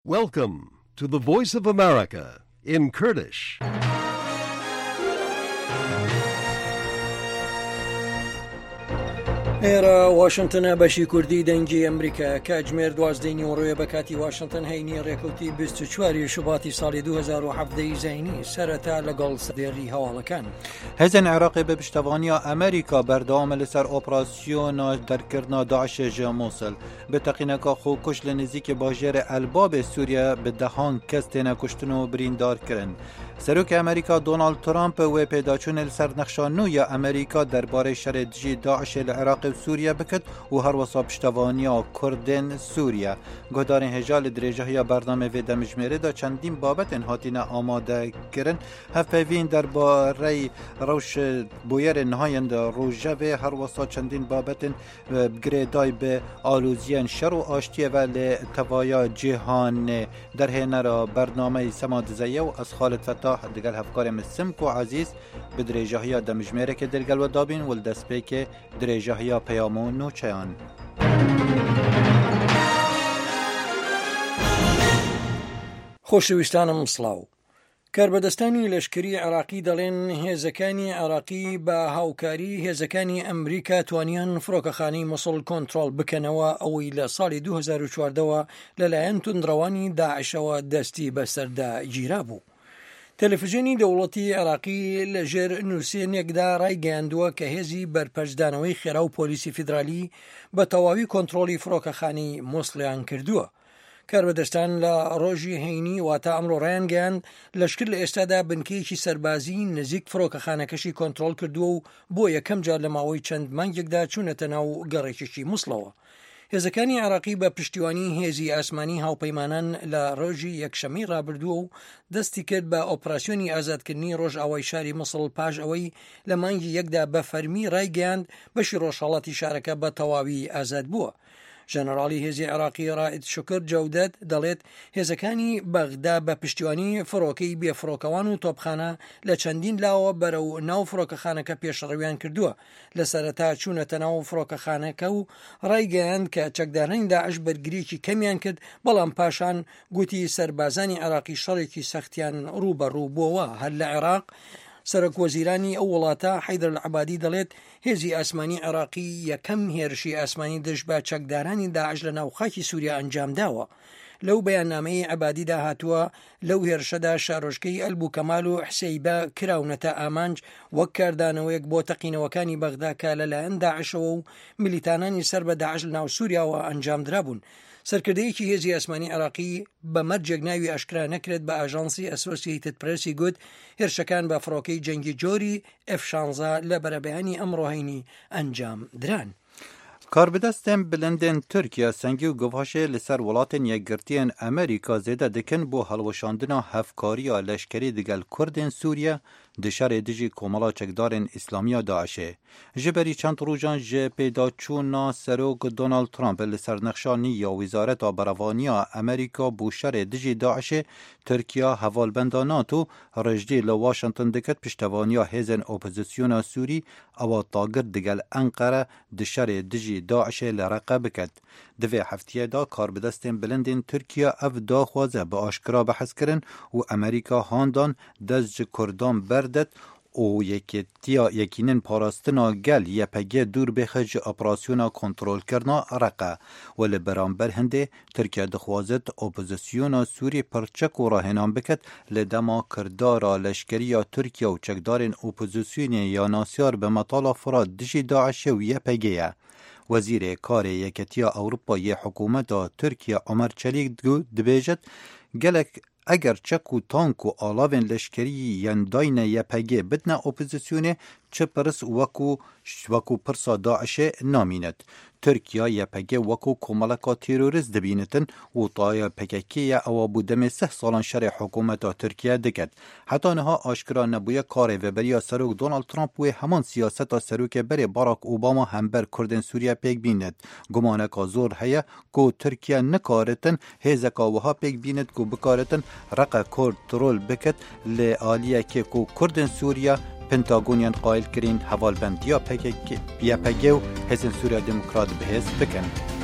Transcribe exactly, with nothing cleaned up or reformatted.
Welcome to the Voice of America in Kurdish. ئێرە واشنگتنە بەشی کوردی دەنگی ئەمریکا کاتژمێر دوازدەی نیوەڕۆیە بە کاتی واشنگتن هەینی ڕێکەوتی بیست و چوار ی شوباتی ساڵی دوو هەزار و حەڤدە ی زایینی سەرەتا لەگەڵ سەردێڕی هەواڵەکان. هێزên Iraqê bi piştevaniya Amerîka berdewam li ser operasyona derkirina Daişê ji Mûsil. Bi teqîneka xwe li nêzîkî bajêrê Elbabê Sûriye bi dehan kes têne kuştin û birîndar kirin. Serokê Amerîka Donald Trump wê pêdaçûnê li ser nexşa nû ya Amerîka derbarê şerê dijî Daişê li Iraqê û Sûriye biket û her wisa piştevaniya Kurdên Sûriye. Guhdarên hêja li dirêjahiya bernameyê vê demjimêrê de çendîn babetên hatine amade kirin. Hevpeyvîn derbarê rewş bûyerên nihayên di rojevê her wisa çendîn babetên girêdayî bi aloziyên şer û aştiyê ve li tevaya cîhanê derhênera bernameyê Sema Dizeye û ez Xalid Fetah digel hevkarê min Simko Ezîz bi dirêjahiya demjimêrekê dilgel we dabîn û li destpêkê dirêjahiya peyam û nûçeyan. خۆشەویستانم سڵاو. کاربەدەستانی لەشکری عێراقی دەڵێن هێزەکانی عێراقی بە هاوکاری هێزەکانی ئەمریکا توانیان فڕۆکەخانەی موسڵ کۆنترۆڵ بکەنەوە ئەوەی لە ساڵی دوو هەزار و چواردەوە لەلایەن توندڕەوانی داعشەوە دەستی بەسەردا گیرا بوو. تەلەفزیۆنی دەوڵەتی عێراقی لەژێر نووسێنێکدا ڕایگەیاندووە کە هێزی بەرپەرچدانەوەی خێرا و پۆلیسی فیدرالی بە تەواوی کۆنترۆڵی فڕۆکەخانەی موسڵیان کردووە. کاربەدەستان لە ڕۆژی هەینی واتە ئەمڕۆ ڕایانگەیاند لەشکر لە ئێستادا بنکەیەکی سەربازی نزیک فڕۆکەخانەکەشی کۆنترۆڵ کردووە و بۆ یەکەم جار لە ماوەی چەند مانگێکدا چوونەتە ناو گەڕێکێکی موسڵەوە. هێزەکانی عێراقی بە پشتیوانی هێزی ئاسمانی هاوپەیمانان لە ڕۆژی یەکشەمەی ڕابردووە و دەستی کرد بە ئۆپراسیۆنی ئازادکردنی ڕۆژئاوای شاری موسڵ پاش ئەوەی لە مانگی یەکدا بە فەرمی ڕایگەیاند بەشی ڕۆژهەڵاتی شارەکە بە تەواوی ئازاد بووە. ژەنەراڵی هێزی عێراقی ڕائید شوکر جەودەت دەڵێت هێزەکانی بەغدا بە پشتیوانی فڕۆکەی بێفڕۆکەوان و تۆپخانە لە چەندین لاوە بەرەو ناو فڕۆکەخانەکە پێشڕەویان کردووە. لە سەرەتا چوونەتە ناو فڕۆکەخانەکە و ڕایگەیاند کە چەکدارانی داعش بەرگریەکی کەمیان کرد، بەڵام پاشان گوتی سەربازانی عێراقی شەڕێکی سەختیان ڕووبەڕوو بووەوە. هەر لە عێراق سەرۆک وەزیرانی ئەو وڵاتە حەیدەر العەبادی دەڵێت هێزی ئاسمانی عێراقی یەکەم هێرشی ئاسمانی دژ بە چەکدارانی داعش لە ناو خاکی سووریا ئەنجام داوە. لەو بەیاننامەی عەبادیدا هاتووە لەو هێرشەدا شارۆچکەی ئەلبوکەمال و حسەیبە کراونەتە ئامانج وەک کاردانەوەیەک بۆ تەقینەوەکانی بەغدا کە لەلایەن داعشەوە و میلیتانانی سەر بە داعش لەناو سووریاوە ئەنجامدرابوون. سەرکردەیەکی هێزی ئاسمانی عێراقی بە مەرجێک ناوی ئاشکرا نەکرێت بە ئاژانسی ئەسۆسیەیتد پرێسی گوت هێرشەکان بە فڕۆکەی جەنگی جۆری ئێف شانزە لە بەرەبەیانی ئەمڕۆ هەینی ئەنجام دران. کاربەدەستên bilindên Tirkiye sengî û guvaşê li ser welatên Yekgirtiyên Amerîka zêde dikin bo hilweşandina hevkariya leşkerî digel Kurdên Sûriye di şerê dijî Komela Çekdarên Îslamiya Daişê. Ji berî çend rojan ji pêdaçûna Serok Donald Trump li ser nexşa nî ya Wezareta Berevaniya Amerîka bo şerê dijî Daişê, Tirkiye hevalbenda NATO rejdî li Washington diket piştevaniya hêzên opozisyona Sûrî ewa tagir digel Enqere di şerê dijî Daişê li Reqe biket. Di vê hefteyê de karbidestên bilindên Tirkiye ev daxwaze bi aşkera behs kirin û Amerîka handan dest ji Kurdan berdet û yekîtiya yekînên parastina gel Y P G dûr bêxe ji operasyona kontrolkirina Reqe û li beramber hindê Tirkiye dixwazit opozisyona Sûrî pirçek û rahênan biket li dema kirdara leşkeriya Tirkiye û çekdarên opozisyonê ya nasyar bi metala Firat dijî Daişê û Y P G ye. Wezîrê Karê Yekîtiya Ewropa yê Hikûmeta Tirkiye Ömer Çelik dibêjit gelek eger çek û tank û alavên leşkerî yên dayne Y P G bidine opozisyonê çi pirs wekû wekû pirsa Daişê namînet. Tirkiye Y P G wekû komeleka terorîst dibînitin û taya P K K ye ewa bû demê seh salan şerê hikûmeta Tirkiye diket. Heta niha aşkera nebûye karê veberiya Serok Donald Trump wê heman siyaseta Serokê berê Barack Obama hember Kurdên Sûriye pêk bînet. Gumaneka zor heye ku Tirkiye nikaritin hêzeka wiha pêk bînet ku bikaritin reqe kontrol biket li aliyekê ku Kurdên Sûriye Pentagoniyan qayil kirîn hevalbendiya P K K, Y P G û Hêzên Sûriya Demokrat bihêz bikin.